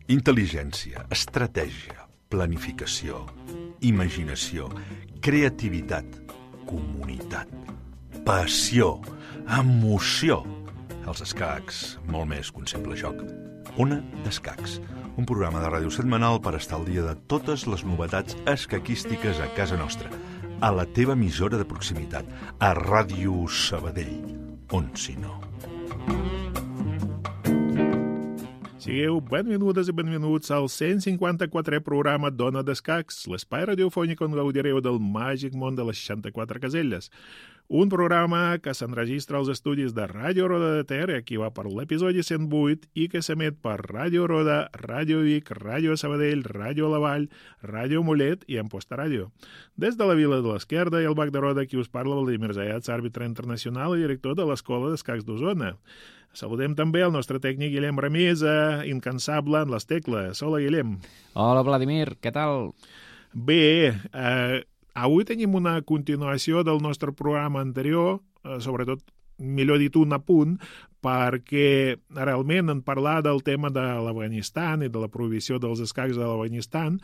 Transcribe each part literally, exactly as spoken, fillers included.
Intel·ligència, estratègia, planificació, imaginació, creativitat, comunitat, passió, emoció. Els escacs, molt més que un simple joc. Ona d'Escacs, un programa de ràdio setmanal per estar al dia de totes les novetats escaquístiques a casa nostra, a la teva emissora de proximitat, a Ràdio Sabadell, on si no. Sigueu benvingudes i benvinguts al cent cinquanta-quatrè programa d'Ona d'Escacs, l'espai radiofònic on gaudireu del màgic món de les seixanta-quatre caselles. Un programa que s'enregistra als estudis de Ràdio Roda de Ter, aquí va per l'episodi cent vuit, i que s'emet per Ràdio Roda, Ràdio Vic, Ràdio Sabadell, Ràdio La Vall, Ràdio Mollet i Amposta Ràdio. Des de la Vila de l'Esquerda i el Bac de Roda, qui us parla Vladimir Zayats, àrbitre internacional i director de l'Escola d'Escacs d'Osona. Saludem també el nostre tècnic Guillem Ramisa, incansable en les tecles. Hola, Guillem. Hola, Vladimir, què tal? Bé, eh, avui tenim una continuació del nostre programa anterior, eh, sobretot, millor dit, un apunt, perquè realment en parlar del tema de l'Afganistan i de la prohibició dels escacs de l'Afganistan,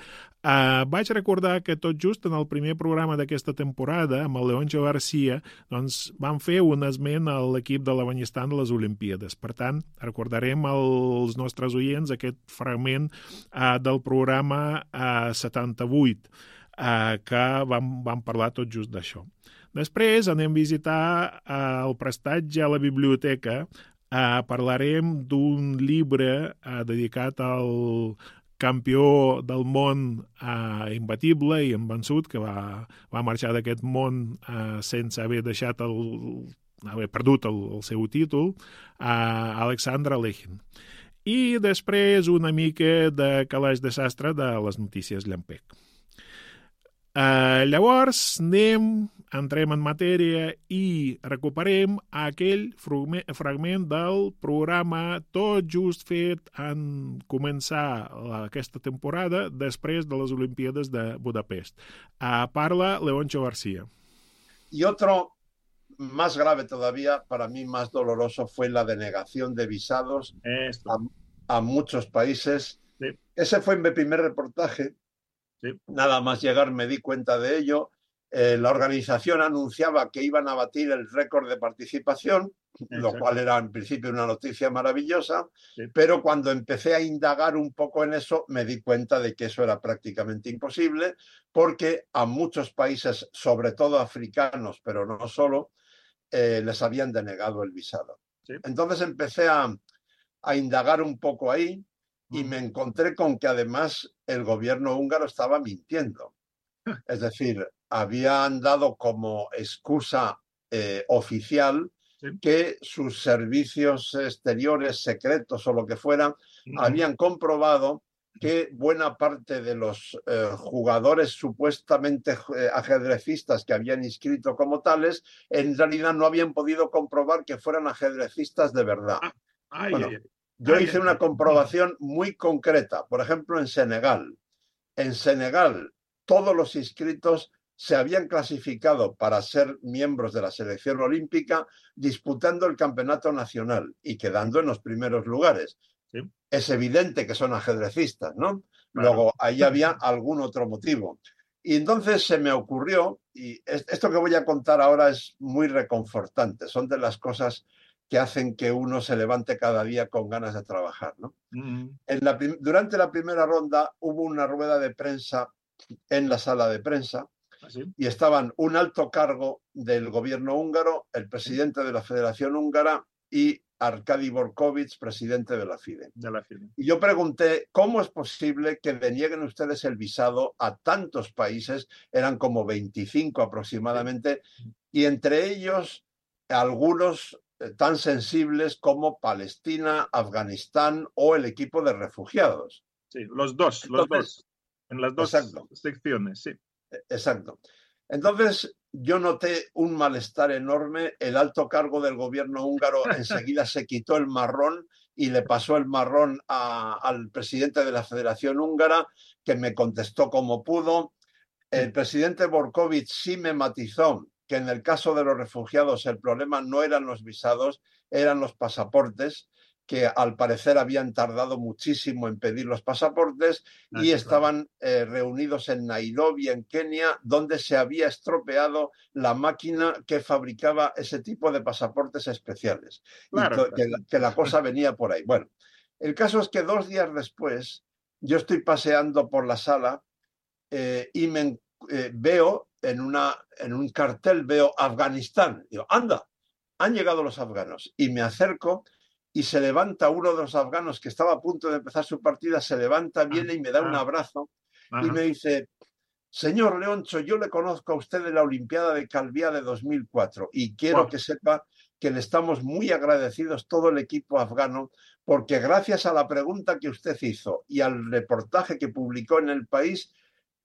eh, vaig recordar que tot just en el primer programa d'aquesta temporada, amb el Leoncho García, doncs vam fer un esment a l'equip de l'Afganistan de les Olimpíades. Per tant, recordarem als nostres oients aquest fragment eh, del programa eh, setanta-vuit, eh, que vam, vam parlar tot just d'això. Després anem a visitar eh, el prestatge a la biblioteca. Eh, parlarem d'un llibre eh, dedicat al campió del món eh, imbatible i invençut, que va, va marxar d'aquest món eh, sense haver deixat el, haver perdut el, el seu títol, eh, Alexandre Alekhine. I després una mica de calaix de sastre de les notícies llampec. Uh, llavors anem, entrem en matèria i recuperem aquell fragment del programa tot just fet en començar aquesta temporada després de les Olimpíades de Budapest. Uh, parla Leoncho García. Y otro más grave todavía, para mí más doloroso, fue la denegación de visados a, a muchos países. Sí. Ese fue mi primer reportaje. Sí. Nada más llegar me di cuenta de ello. Eh, la organización anunciaba que iban a batir el récord de participación, exacto, lo cual era en principio una noticia maravillosa, sí, pero cuando empecé a indagar un poco en eso me di cuenta de que eso era prácticamente imposible, porque a muchos países, sobre todo africanos, pero no solo, eh, les habían denegado el visado. Sí. Entonces empecé a, a indagar un poco ahí, y me encontré con que además el gobierno húngaro estaba mintiendo. Es decir, habían dado como excusa eh, oficial, sí, que sus servicios exteriores, secretos o lo que fuera, uh-huh, habían comprobado que buena parte de los eh, jugadores supuestamente eh, ajedrecistas que habían inscrito como tales, en realidad no habían podido comprobar que fueran ajedrecistas de verdad. Ah, ay, bueno, ay, ay. Yo hice una comprobación muy concreta, por ejemplo, en Senegal. En Senegal, todos los inscritos se habían clasificado para ser miembros de la selección olímpica disputando el campeonato nacional y quedando en los primeros lugares. Sí. Es evidente que son ajedrecistas, ¿no? Claro. Luego, ahí había algún otro motivo. Y entonces se me ocurrió, y esto que voy a contar ahora es muy reconfortante, son de las cosas que hacen que uno se levante cada día con ganas de trabajar, ¿no? Mm. En la durante la primera ronda hubo una rueda de prensa en la sala de prensa. ¿Ah, sí? Y estaban un alto cargo del gobierno húngaro, el presidente de la Federación Húngara y Arkady Borkovic, presidente de la FIDE. De la FIDE. Y yo pregunté, ¿cómo es posible que denieguen ustedes el visado a tantos países? Eran como veinticinco aproximadamente, sí, y entre ellos algunos tan sensibles como Palestina, Afganistán o el equipo de refugiados. Sí, los dos, Entonces, los dos, en las dos exacto, secciones, sí. Exacto. Entonces yo noté un malestar enorme, el alto cargo del gobierno húngaro enseguida se quitó el marrón y le pasó el marrón a, al presidente de la Federación Húngara, que me contestó como pudo. el presidente Borkovic sí me matizó que en el caso de los refugiados el problema no eran los visados, eran los pasaportes, que al parecer habían tardado muchísimo en pedir los pasaportes y estaban eh, reunidos en Nairobi, en Kenia, donde se había estropeado la máquina que fabricaba ese tipo de pasaportes especiales. Claro. Y que, que la cosa venía por ahí. Bueno, el caso es que dos días después yo estoy paseando por la sala eh, y me eh, veo en, una, en un cartel, veo Afganistán. Digo, anda, han llegado los afganos. Y me acerco y se levanta uno de los afganos que estaba a punto de empezar su partida, se levanta, viene y me da un abrazo y me dice, señor Leoncho, yo le conozco a usted de la Olimpiada de Calviá de dos mil cuatro y quiero wow. que sepa que le estamos muy agradecidos todo el equipo afgano porque gracias a la pregunta que usted hizo y al reportaje que publicó en El País,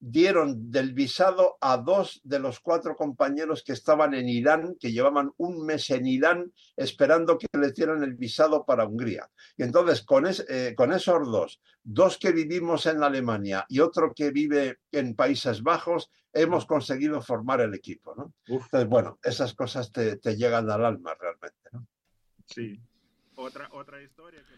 dieron del visado a dos de los cuatro compañeros que estaban en Irán, que llevaban un mes en Irán esperando que les dieran el visado para Hungría. Y entonces, con, es, eh, con esos dos, dos que vivimos en Alemania y otro que vive en Países Bajos, hemos conseguido formar el equipo, ¿no? Entonces, bueno, esas cosas te, te llegan al alma realmente, ¿no? Sí. Otra, otra història que...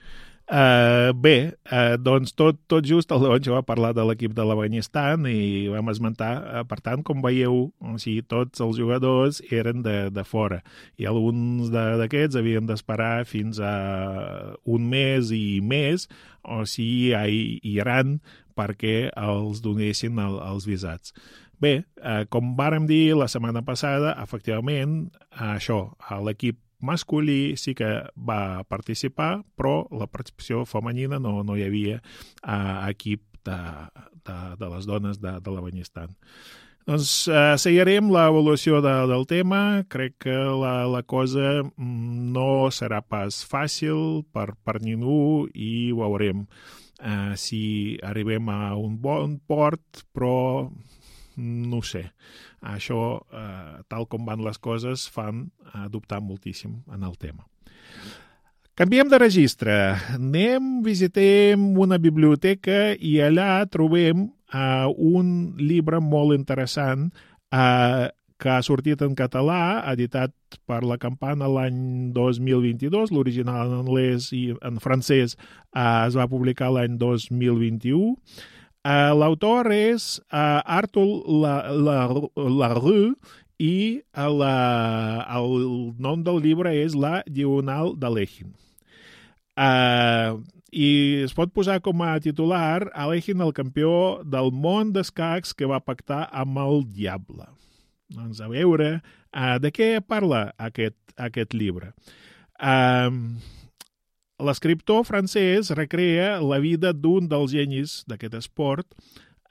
Uh, bé, uh, doncs tot, tot just el Leoncho va parlar de l'equip de l'Afganistan i vam esmentar, uh, per tant, com veieu, o sigui, tots els jugadors eren de, de fora i alguns d'aquests havien d'esperar fins a un mes i més, o sigui, a Iran, perquè els donessin el, els visats. Bé, uh, com vàrem dir la setmana passada, efectivament, uh, això, l'equip masculí sí que va participar, però la participació femenina no, no hi havia uh, equip de, de, de les dones de, de l'Afganistan. Doncs uh, seguirem l'evolució de, del tema. Crec que la, la cosa no serà pas fàcil per, per ningú i ho veurem. Uh, si arribem a un bon port, però no ho sé. Això, eh, tal com van les coses, fan eh, dubtar moltíssim en el tema. Canviem de registre. Anem, visitem una biblioteca i allà trobem eh, un llibre molt interessant eh, que ha sortit en català, editat per la Campana l'any dos mil vint-i-dos. L'original en anglès i en francès eh, es va publicar l'any dos mil vint-i-u. Uh, l'autor és uh, Arthur Larue i la, el nom del llibre és La Diagonal d'Alekhine. Uh, I es pot posar com a titular Alekhine, el campió del món d'escacs que va pactar amb el diable. Doncs a veure, uh, de què parla aquest, aquest llibre? Uh, L'escriptor francès recrea la vida d'un dels genis d'aquest esport,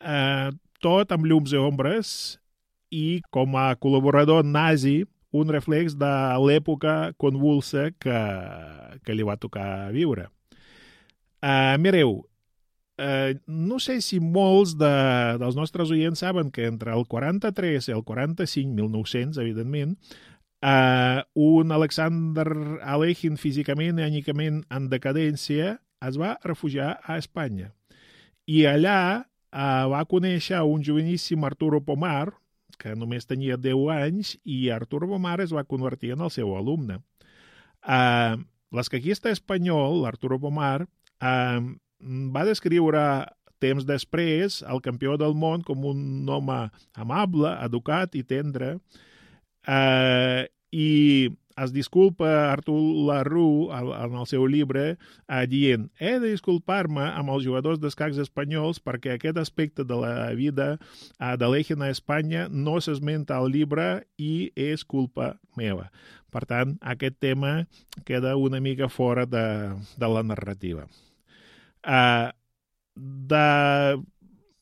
eh, tot amb llums i ombres, i com a col·laborador nazi, un reflex de l'època convulsa que, que li va tocar viure. Eh, mireu, eh, no sé si molts de, dels nostres oients saben que entre el quaranta-tres i el quaranta-cinc, mil nou-cents, evidentment, Uh, un Alexander Alekhine físicament i ànicament en decadència es va refugiar a Espanya. I allà uh, va conèixer un joveníssim Arturo Pomar, que només tenia deu anys, i Arturo Pomar es va convertir en el seu alumne. Uh, l'escaquista espanyol, Arturo Pomar, uh, va descriure temps després el campió del món com un home amable, educat i tendre. Uh, i es disculpa Arthur Larue en el seu llibre uh, dient, he de disculpar-me amb els jugadors d'escacs espanyols perquè aquest aspecte de la vida uh, d'Alekhine a Espanya no s'esmenta al llibre i és culpa meva. Per tant, aquest tema queda una mica fora de, de la narrativa. Uh, de...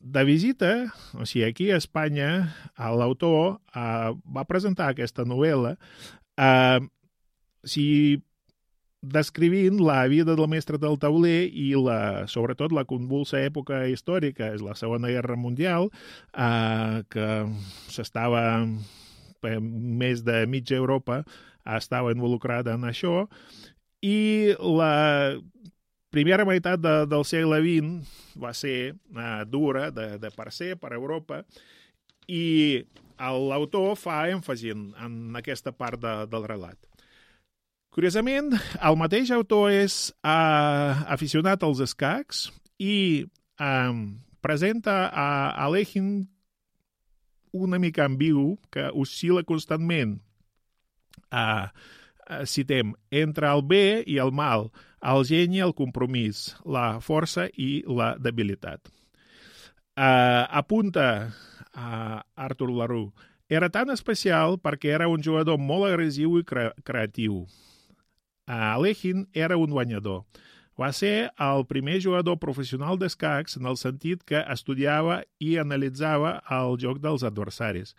De visita, o sigui, aquí a Espanya, l'autor uh, va presentar aquesta novel·la uh, si descrivint la vida del mestre del tauler i la, sobretot la convulsa època històrica, és la Segona Guerra Mundial, uh, que s'estava, més de mitja Europa estava involucrada en això, i la primera meitat de, del segle vint va ser uh, dura de, de per ser per Europa i l'autor fa èmfasi en, en aquesta part de, del relat. Curiosament, el mateix autor és uh, aficionat als escacs i um, presenta a Alekhine una mica ambigu que oscil·la constantment, uh, uh, citem, entre el bé i el mal, el geni i el compromís, la força i la debilitat. Uh, apunta a Arthur LaRue, era tan especial perquè era un jugador molt agressiu i cre creatiu. Uh, Alekhine era un guanyador. Va ser el primer jugador professional d'escacs en el sentit que estudiava i analitzava el joc dels adversaris.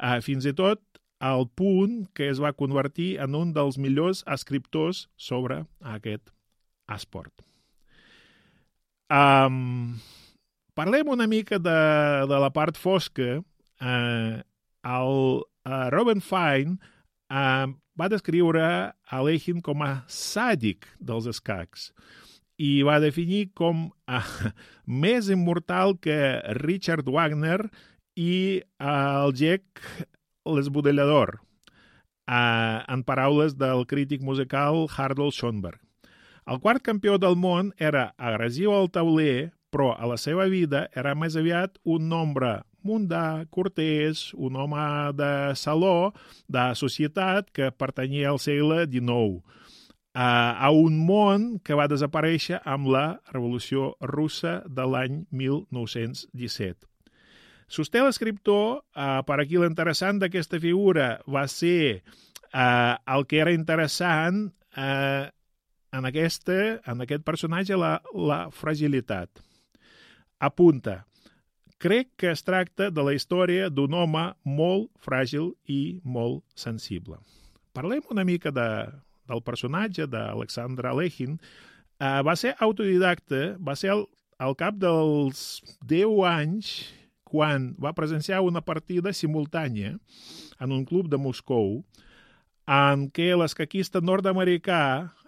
Uh, fins i tot al punt que es va convertir en un dels millors escriptors sobre aquest esport. Um, parlem una mica de, de la part fosca. Uh, el uh, Robin Fine uh, va descriure Alekhine com a sàdic dels escacs i va definir com uh, més immortal que Richard Wagner i uh, el Jack l'Esbudellador, uh, en paraules del crític musical Harold Schoenberg. El quart campió del món era agressiu al tauler, però a la seva vida era més aviat un nombre mundà, cortès, un home de saló, de societat que pertanyia al segle dinou, a, a un món que va desaparèixer amb la Revolució Russa de l'any mil nou-cents disset. Sosté l'escriptor, eh, per aquí l'interessant d'aquesta figura va ser eh, el que era interessant eh, en, aquesta, en aquest personatge, la, la fragilitat. Apunta, crec que es tracta de la història d'un home molt fràgil i molt sensible. Parlem una mica de, del personatge d'Alexander Alekhine. Uh, va ser autodidacta, va ser al, al cap dels deu anys quan va presenciar una partida simultània en un club de Moscou en què l'escaquista nord-americà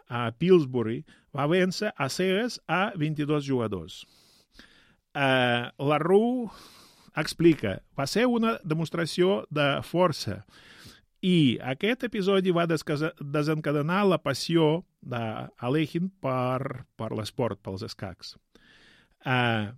a Pillsbury va vèncer a cegues a vint-i-dos jugadors. Uh, LaRue explica, va ser una demostració de força i aquest episodi va desencadenar la passió d'Alekhine per, per l'esport, pels escacs. Uh,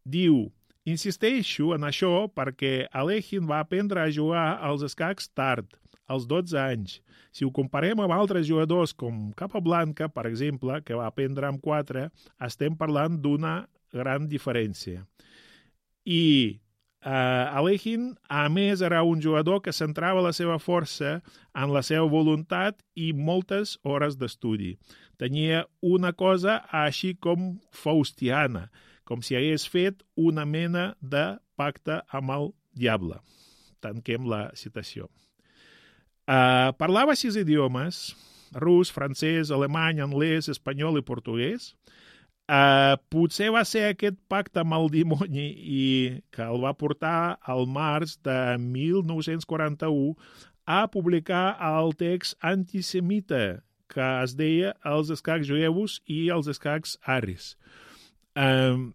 diu, insisteixo en això perquè Alekhine va aprendre a jugar als escacs tard, als dotze anys. Si ho comparem amb altres jugadors com Capablanca, per exemple, que va aprendre amb quatre, estem parlant d'una gran diferència. I uh, Alekhine, a més, era un jugador que centrava la seva força en la seva voluntat i moltes hores d'estudi. Tenia una cosa així com faustiana, com si hagués fet una mena de pacte amb el diable. Tanquem la citació. Uh, parlava sis idiomes, rus, francès, alemany, anglès, espanyol i portuguès. Uh, potser va ser aquest pacte amb el dimoni i que el va portar al març de mil nou-cents quaranta-u a publicar el text antisemita que es deia Els escacs jueus i els escacs aris. Uh,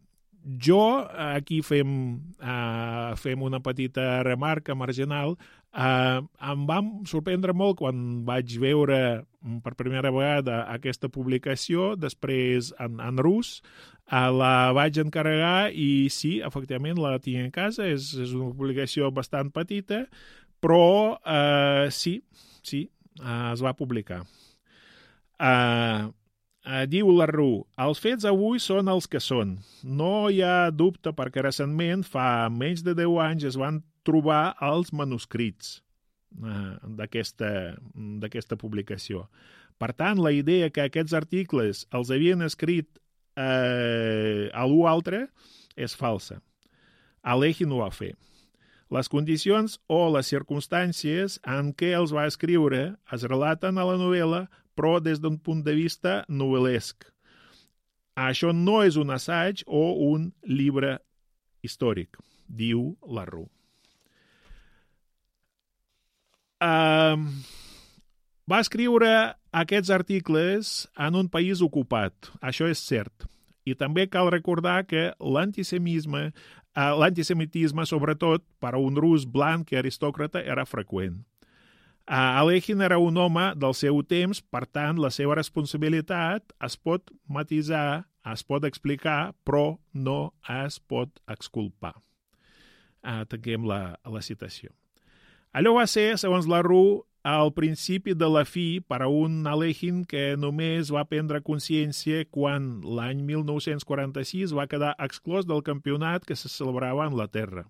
jo, aquí fem, uh, fem una petita remarca marginal, uh, em va sorprendre molt quan vaig veure per primera vegada aquesta publicació, després en, en rus, uh, la vaig encarregar i sí, efectivament la tinc a casa, és, és una publicació bastant petita, però uh, sí, sí, uh, es va publicar. Uh, Uh, diu LaRue, els fets avui són els que són. No hi ha dubte perquè recentment, fa menys de deu anys, es van trobar els manuscrits uh, d'aquesta publicació. Per tant, la idea que aquests articles els havien escrit uh, algú altre és falsa. Alekhine ho va fer. Les condicions o les circumstàncies en què els va escriure es relaten a la novel·la, però des d'un punt de vista novel·lesc. Això no és un assaig o un llibre històric, diu LaRue. Uh, va escriure aquests articles en un país ocupat, això és cert. I també cal recordar que l'antisemisme l'antisemitisme, sobretot per a un rus blanc i aristòcrata, era freqüent. Alekhine era un home del seu temps, per tant, la seva responsabilitat es pot matisar, es pot explicar, però no es pot exculpar. Tanquem la, la citació. Allò va ser, segons la Roux, al principi de la fi per a un Alekhine que només va prendre consciència quan l'any mil nou-cents quaranta-sis va quedar exclòs del campionat que se celebrava a Anglaterra.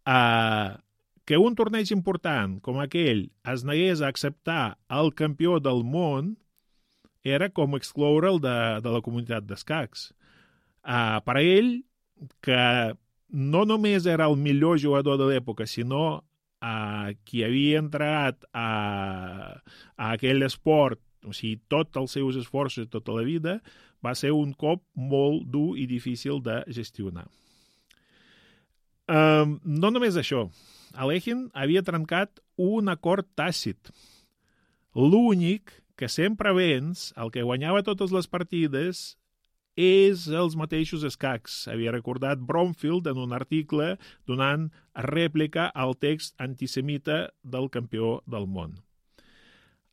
Uh, que un torneig important com aquell es negués a acceptar el campió del món era com excloure'l de, de la comunitat d'escacs. Uh, per a ell, que no només era el millor jugador de l'època, sinó Uh, qui havia entrat a, a aquell esport, o sigui, tots els seus esforços tota la vida, va ser un cop molt dur i difícil de gestionar. Um, no només això. Alekhine havia trencat un acord tàcit. L'únic que sempre venç, el que guanyava totes les partides, és els mateixos escacs. Havia recordat Bromfield en un article donant rèplica al text antisemita del campió del món.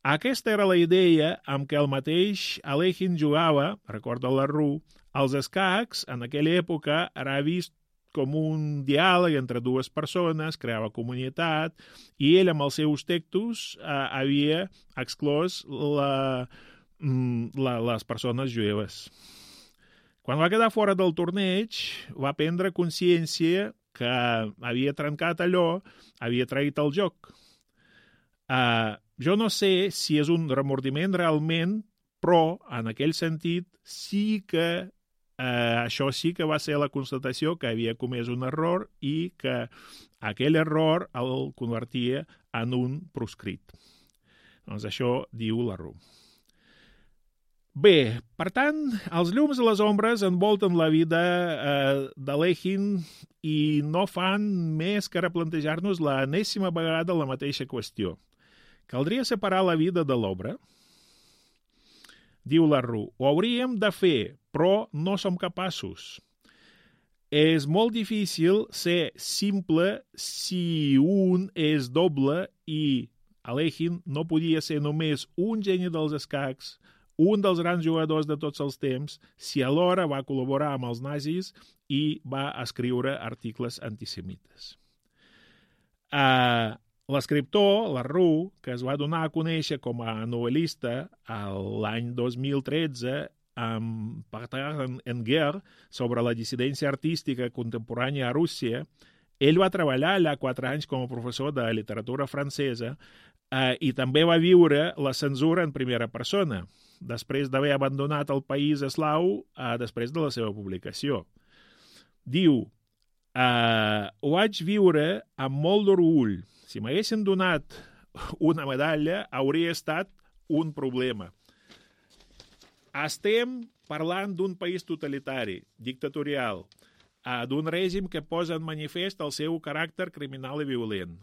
Aquesta era la idea amb què el mateix Alekhine jugava, recorda la Roux, els escacs en aquella època era vist com un diàleg entre dues persones, creava comunitat, i ell amb els seus textos eh, havia exclòs la, la, les persones jueves. Quan va quedar fora del torneig, va prendre consciència que havia trencat allò, havia traït el joc. Uh, jo no sé si és un remordiment realment, però en aquell sentit sí que uh, això sí que va ser la constatació que havia comès un error i que aquell error el convertia en un proscrit. Doncs això diu la Roux. Bé, per tant, els llums i les ombres envolten la vida eh, d'Alekhine i no fan més que replantejar-nos l'enèsima vegada la mateixa qüestió. Caldria separar la vida de l'obra? Diu la Roux, ho hauríem de fer, però no som capaços. És molt difícil ser simple si un és doble i Alekhine no podia ser només un geni dels escacs, un dels grans jugadors de tots els temps, si alhora va col·laborar amb els nazis i va escriure articles antisemites. Uh, l'escriptor, la Roux, que es va donar a conèixer com a novel·lista l'any dos mil tretze amb Partage en guerre sobre la dissidència artística contemporània a Rússia, ell va treballar allà quatre anys com a professor de literatura francesa uh, i també va viure la censura en primera persona, després d'haver abandonat el país eslau eh, després de la seva publicació. Diu, eh, ho vaig viure amb molt d'orgull. Si m'haguessin donat una medalla, hauria estat un problema. Estem parlant d'un país totalitari, dictatorial, eh, d'un règim que posa en manifest el seu caràcter criminal i violent.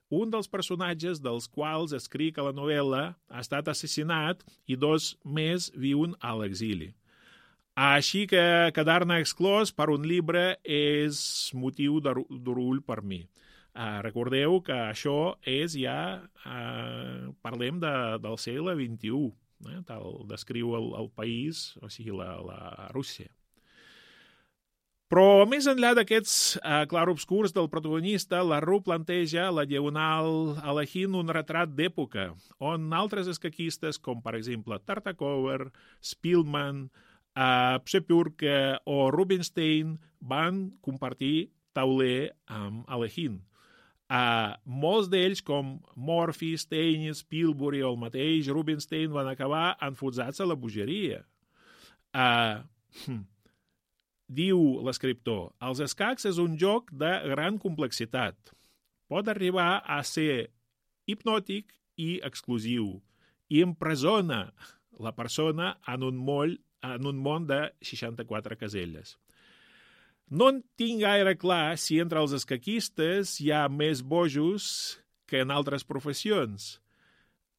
Un dels personatges dels quals escric a la novel·la ha estat assassinat i dos més viuen a l'exili. Així que quedar-ne exclòs per un llibre és motiu d'orgull per mi. Uh, recordeu que això és ja, uh, parlem de, del segle vint-i-u, eh? Tal descriu el, el país, o sigui, la, la Rússia. Però més enllà d'aquests eh, clarobscurs del protagonista, la Roux planteja a la diagonal Alekhine un retrat d'època, on altres escaquistes, com per exemple Tartakover, Spielman, eh, Przepurka o Rubinstein, van compartir tauler amb Alekhine. Eh, molts d'ells, com Morphy, Stein, Spielberg o el mateix Rubinstein, van acabar enfonsats a la bogeria. Eh... Hm. Diu l'escriptor, els escacs és un joc de gran complexitat. Pot arribar a ser hipnòtic i exclusiu i empresona la persona en un, moll, en un món de seixanta-quatre caselles. No en tinc gaire clar si entre els escaquistes hi ha més bojos que en altres professions.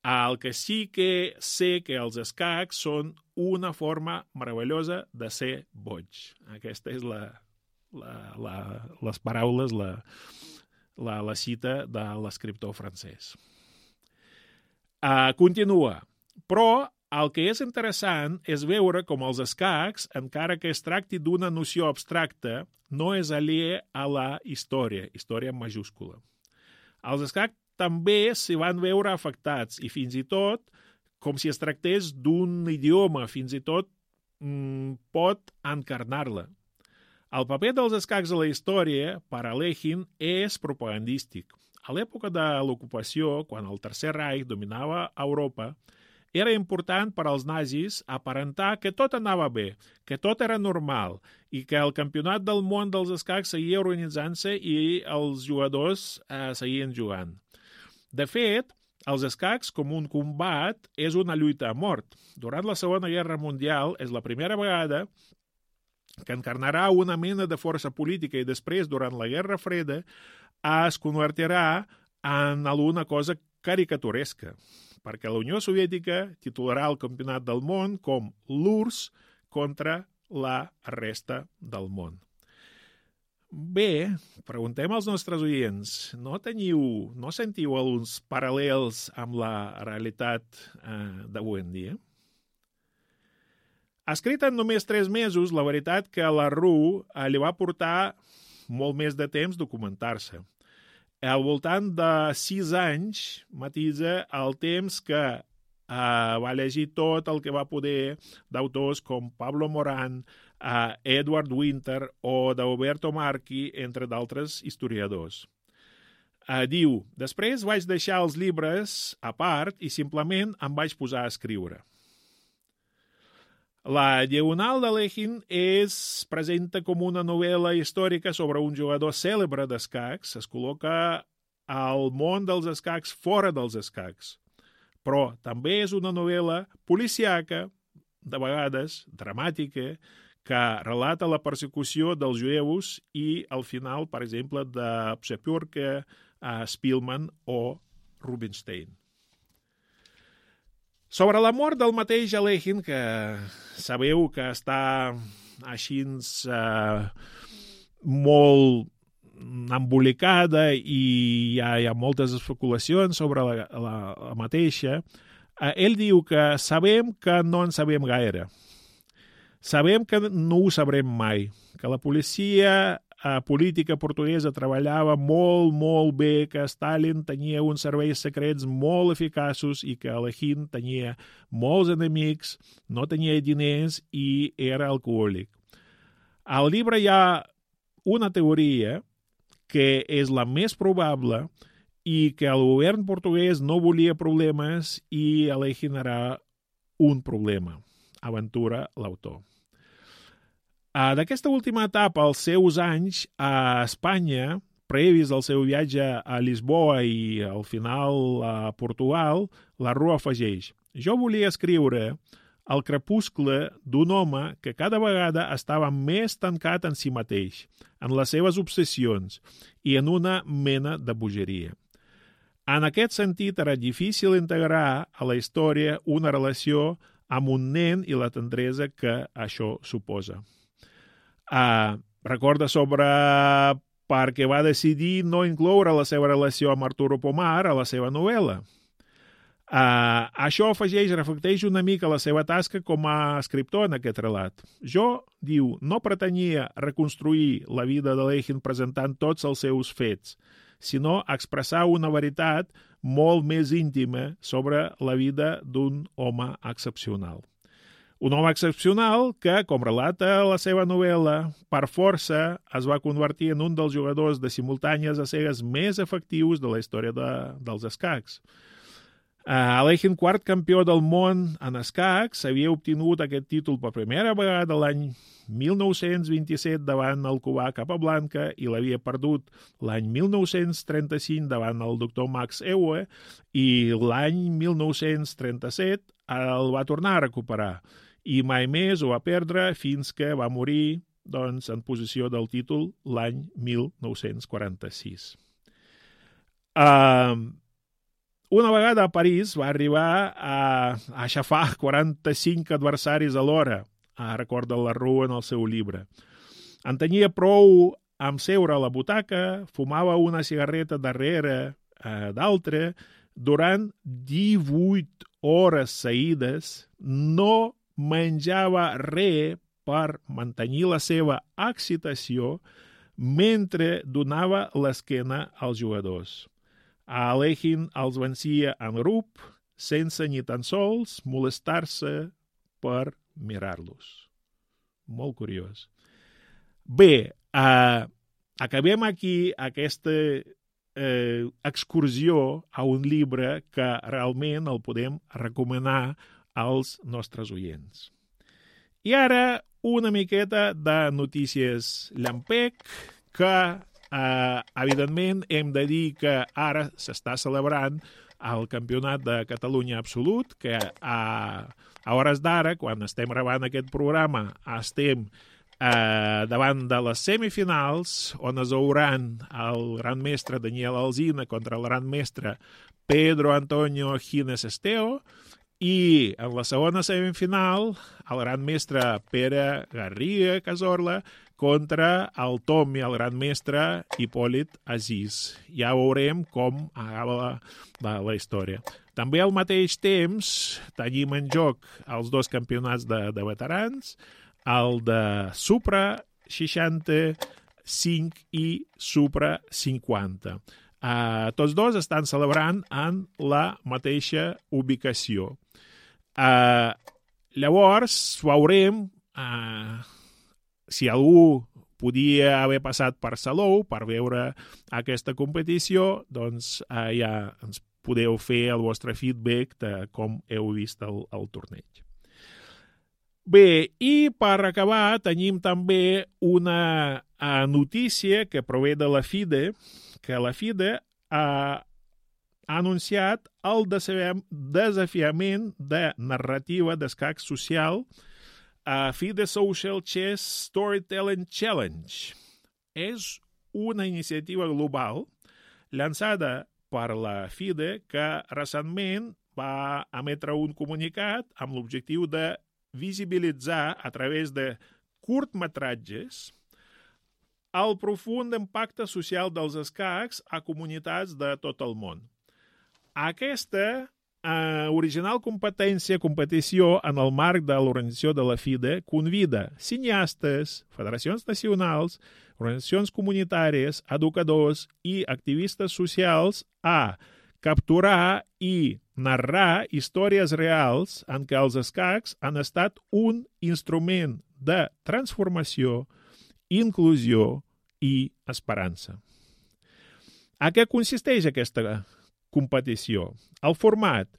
El que sí que sé que els escacs són una forma meravellosa de ser boig. Aquesta és la, la, la, les paraules, la, la, la cita de l'escriptor francès. Uh, continua. Però el que és interessant és veure com els escacs, encara que es tracti d'una noció abstracta, no és aliè a la història, història en majúscula. Els escacs també s'hi van veure afectats i fins i tot, com si es tractés d'un idioma, fins i tot mm, pot encarnar-la. El paper dels escacs a la història, per a Lenin, és propagandístic. A l'època de l'ocupació, quan el Tercer Reich dominava Europa, era important per als nazis aparentar que tot anava bé, que tot era normal i que el campionat del món dels escacs seguia organitzant-se i els jugadors eh, seguien jugant. De fet, els escacs com un combat és una lluita a mort. Durant la Segona Guerra Mundial és la primera vegada que encarnarà una mena de força política i després, durant la Guerra Freda, es convertirà en alguna cosa caricaturesca, perquè la Unió Soviètica titularà el Campionat del Món com l'U R S S contra la resta del món. Bé, preguntem als nostres oients, no teniu, no sentiu alguns paral·lels amb la realitat eh, d'avui en dia? Escrit en només tres mesos, la veritat que a la R U eh, li va portar molt més de temps documentar-se. Al voltant de sis anys matisa el temps que eh, va llegir tot el que va poder d'autors com Pablo Morán, Uh, Edward Winter o d'Alberto Marchi, entre d'altres historiadors. Uh, diu, després vaig deixar els llibres a part i simplement em vaig posar a escriure. La Diagonal de Lenin es presenta com una novel·la històrica sobre un jugador cèlebre d'escacs. Es col·loca al món dels escacs fora dels escacs. Però també és una novel·la policiaca, de vegades dramàtica, que relata la persecució dels jueus i el final, per exemple, de Psepiorka, Spielman o Rubinstein. Sobre la mort del mateix Lenin, que sabeu que està així eh, molt embolicada i hi ha, hi ha moltes especulacions sobre la, la, la mateixa, eh, ell diu que sabem que no en sabem gaire. Sabem que no ho sabrem mai, que la policia eh, política portuguesa treballava molt, molt bé, que Stalin tenia uns serveis secrets molt eficaços i que Lenin tenia molts enemics, no tenia diners i era alcohòlic. Al llibre hi ha una teoria que és la més probable i que el govern portuguès no volia problemes i Lenin era un problema. Aventura l'autor. Uh, D'aquesta última etapa, als seus anys a Espanya, previs al seu viatge a Lisboa i al final a Portugal, la R U afegeix: jo volia escriure el crepuscle d'un home que cada vegada estava més tancat en si mateix, en les seves obsessions i en una mena de bogeria. En aquest sentit, era difícil integrar a la història una relació amb un nen i la tendresa que això suposa. Uh, recorda sobre perquè va decidir no incloure la seva relació amb Arturo Pomar a la seva novel·la. Uh, això afegeix, reflecteix una mica la seva tasca com a escriptor en aquest relat. Jo, diu, no pretenia reconstruir la vida de Lenin presentant tots els seus fets, sinó expressar una veritat molt més íntima sobre la vida d'un home excepcional. Un home excepcional que, com relata la seva novel·la, per força es va convertir en un dels jugadors de simultànies a cegues més efectius de la història de, dels escacs. Uh, Lenin, quart campió del món en escacs, havia obtingut aquest títol per primera vegada l'any mil nou-cents vint-i-set davant el cubà Capablanca i l'havia perdut l'any mil nou-cents trenta-cinc davant el doctor Max Euwe i l'any mil nou-cents trenta-set el va tornar a recuperar i mai més ho va perdre fins que va morir doncs, en posició del títol l'any mil nou-cents quaranta-sis. Uh, una vegada a París va arribar a, a aixafar quaranta-cinc adversaris alhora, recorda la R U en el seu llibre. En tenia prou amb seure a la butaca, fumava una cigarreta darrere eh, d'altra, durant divuit hores seguides, no menjava res per mantenir la seva excitació mentre donava l'esquena als jugadors. A Alekhine els vencia en grup, sense ni tan sols molestar-se per mirar-los. Molt curiós. Bé, eh, acabem aquí aquesta eh, excursió a un llibre que realment el podem recomanar als nostres oients. I ara una miqueta de notícies llampec que, eh, evidentment, hem de dir que ara s'està celebrant el Campionat de Catalunya Absolut, que a, a hores d'ara, quan estem gravant aquest programa, estem eh, davant de les semifinals, on es veuran el gran mestre Daniel Alsina contra el gran mestre Pedro Antonio Gines Esteo, i en la segona semifinal, el gran mestre Pere Garriga Cazorla contra el Tom i el gran mestre Hipòlit Aziz. Ja veurem com acaba la, la, la història. També al mateix temps tenim en joc els dos campionats de, de veterans, el de Supra seixanta-cinc i Supra cinquanta. Uh, tots dos estan celebrant en la mateixa ubicació. Uh, llavors veurem uh, si algú podia haver passat per Salou per veure aquesta competició, doncs uh, ja ens podeu fer el vostre feedback de com heu vist el, el torneig. Bé, i per acabar tenim també una uh, notícia que prové de la FIDE, que la FIDE ha ha anunciat el desafiament de narrativa d'escac social a FIDE Social Chess Storytelling Challenge. És una iniciativa global llançada per la FIDE que recentment va emetre un comunicat amb l'objectiu de visibilitzar a través de curtmetratges el profund impacte social dels escacs a comunitats de tot el món. Aquesta eh, original competència, competició en el marc de l'organització de la FIDE convida cineastes, federacions nacionals, organitzacions comunitàries, educadors i activistes socials a capturar i narrar històries reals en què els escacs han estat un instrument de transformació, inclusió i esperança. A què consisteix aquesta competició? El format.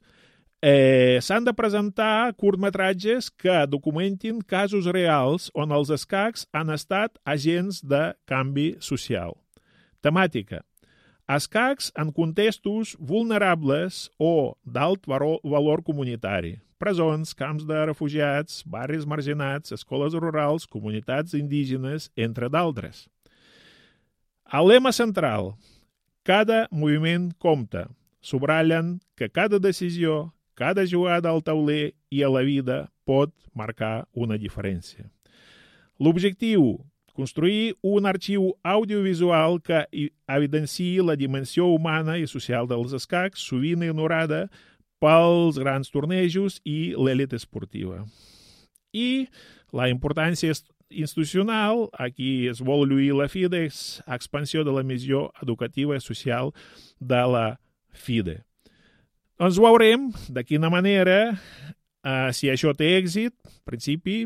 Eh, s'han de presentar curtmetratges que documentin casos reals on els escacs han estat agents de canvi social. Temàtica. Escacs en contextos vulnerables o d'alt valor comunitari. Presons, camps de refugiats, barris marginats, escoles rurals, comunitats indígenes, entre d'altres. El lema central. Cada moviment compta. Subratllen que cada decisió, cada jugada al tauler i a la vida pot marcar una diferència. L'objectiu, construir un arxiu audiovisual que evidenciï la dimensió humana i social dels escacs, sovint ignorada pels grans tornejos i l'elit esportiva. I la importància institucional, aquí es vol lluir la FIDE, és expansió de la missió educativa i social de la FIDE. Doncs veurem de quina manera, eh, si això té èxit, en principi,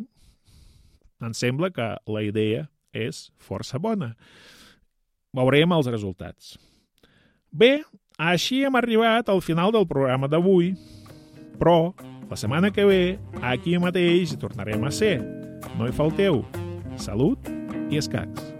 em sembla que la idea és força bona. Veurem els resultats. Bé, així hem arribat al final del programa d'avui, però la setmana que ve, aquí mateix, hi tornarem a ser. No hi falteu. Salut i escacs.